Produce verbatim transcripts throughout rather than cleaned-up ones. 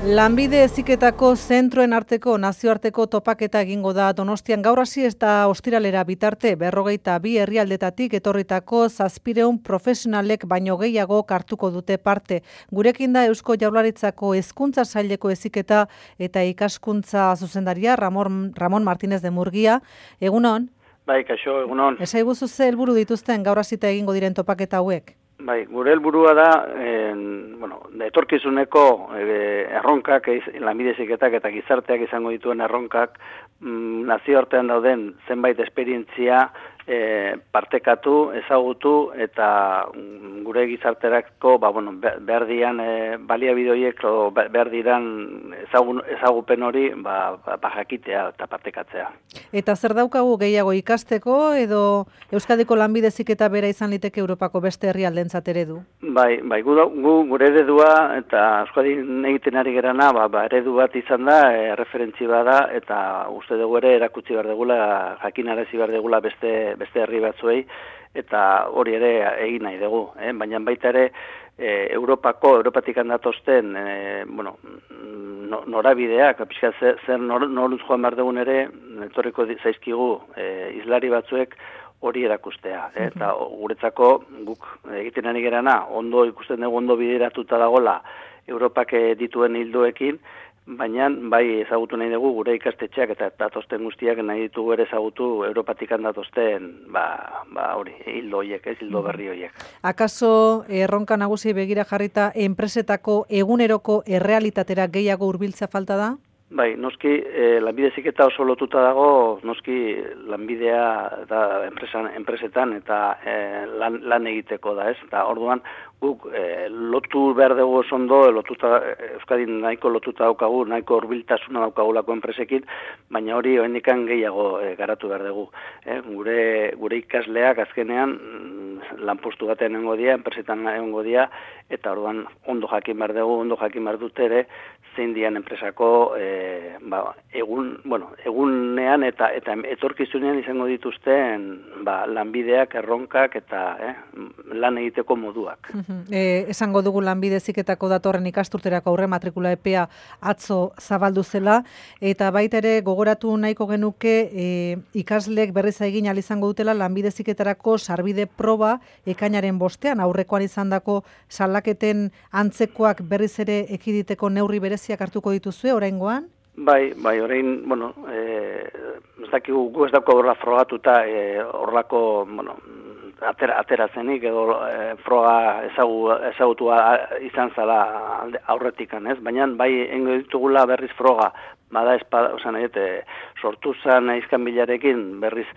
Lanbide heziketako zentroen arteko nazioarteko topaketa egingo da Donostian gaur hasi eta ostiralera bitarte berrogeita bi herrialdetatik etorritako zazpiehun profesionalek baino gehiago hartuko dute parte. Gurekin da Eusko Jaurlaritzako Hezkuntza Saileko heziketa eta ikaskuntza zuzendaria Ramon, Ramon Martínez de Murguía. Egunon? Bai, kaixo, egunon. Esaiguzu ze helburu dituzten gaur hasita egingo diren topaketa hauek? Bai, gure helburua da, en, bueno, etorkizuneko e, erronkak, lanbide heziketak eta gizarteak izango dituen erronkak, mm, nazioartean dauden zenbait esperientzia e, partekatu, ezagutu eta mm, gure gizarterako, ba, bueno, behar dian e, baliabide horiek o behar diran ezagun, ezagupen hori ba, ba, jakitea eta partekatzea. Eta zer daukagu gehiago ikasteko edo Euskadiko lanbide heziketa bera izan liteke Europako beste herrialdentzat eredu? Bai, bai, gu, gu gure eredua eta Euskadin egiten ari gerana, ba, ba, eredu bat izan da, e, referentzi bada eta uste dugu ere erakutsi behar degula, jakinarazi behar degula beste, beste herri batzuei eta hori ere egin nahi dugu, eh? Baina baita ere e, Europako, Europatik handatozten, e, bueno, no, norabideak, pixka zer, zer nor, noruz joan behar dugun ere, etorriko zaizkigu e, izlari batzuek hori erakustea. Eh? Eta guretzako guk egiten ari gerana, ondo ikusten dugu ondo bideratuta dagola Europak dituen hildoekin, baina bai ezagutu nahi dugu gure ikastetxeak eta datosten guztiak nahi ditugu ere ezagutu Europatik datosten ba, ba hori, hildo horiek, ez hildo berri horiek. Akaso erronka nagusi begira jarrita enpresetako eguneroko errealitatera gehiago hurbiltzea falta da? Bai, noski, eh, lanbide heziketa oso lotuta dago, noski lanbidea da enpresan, enpresetan eta eh, lan, lan egiteko da, ez? Eta orduan guk eh, lotu behar dugu oso ondo, lotuta, Euskadin nahiko lotuta daukagu, nahiko hurbiltasuna daukagulako enpresekin, baina hori oraindikan gehiago eh, garatu behar dugu. Eh? Gure, gure ikasleak azkenean lanpostu batean egongo dira, enpresetan egongo dira, eta orduan ondo jakin behar dugu, ondo jakin behar dut ere, zein dian enpresako e, ba, egun, bueno, egunean eta eta etorkizunean izango dituzten ba, lanbideak, erronkak eta eh, lan egiteko moduak. E, esango dugu lanbide heziketako datorren ikasturterako aurre matrikula epea atzo zabaldu zela, eta baita ere gogoratu nahiko genuke e, ikasleek berriz egin ahal izango dutela lanbide heziketarako sarbide proba ekainaren bostean, aurrekoan izandako salaketen antzekoak berriz ere ekiditeko neurri bereziak hartuko dituzue oraingoan? Bai, bai, orain, bueno, eh, ez dakigu gu ez dauko horra frogatuta eh, horrelako, bueno, atera, aterazenik edo e, froga ezagu, ezagutua izan zala aurretikan, ez? Baina bai engo ditugula berriz froga, bada espada, osan egite, sortu zan izkanbilarekin berriz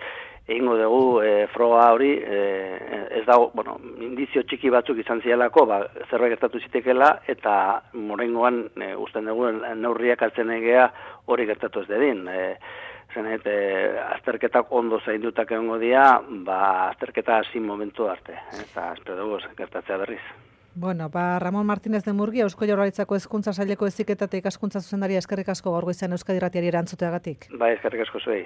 egingo dugu e, froga hori, e, ez dago, bueno, indizio txiki batzuk izan zialako, ba, zerbait gertatu zitekela, eta morengoan e, usten dugu neurriak hartzen egea hori gertatu ez dedin. E, Zenet, e, azterketak ondo zaindutak egongo dira, ba, azterketa hasi momentu arte, eta espero dugu gertatzea berriz. Bueno, ba, Ramon Martínez de Murguía, Eusko Jaurlaritzako Hezkuntza Saileko heziketa eta ikaskuntza zuzendaria, eskerrik asko gaur goizean Euskadi Irratiari erantzuteagatik. Bai, eskerrik asko zuei.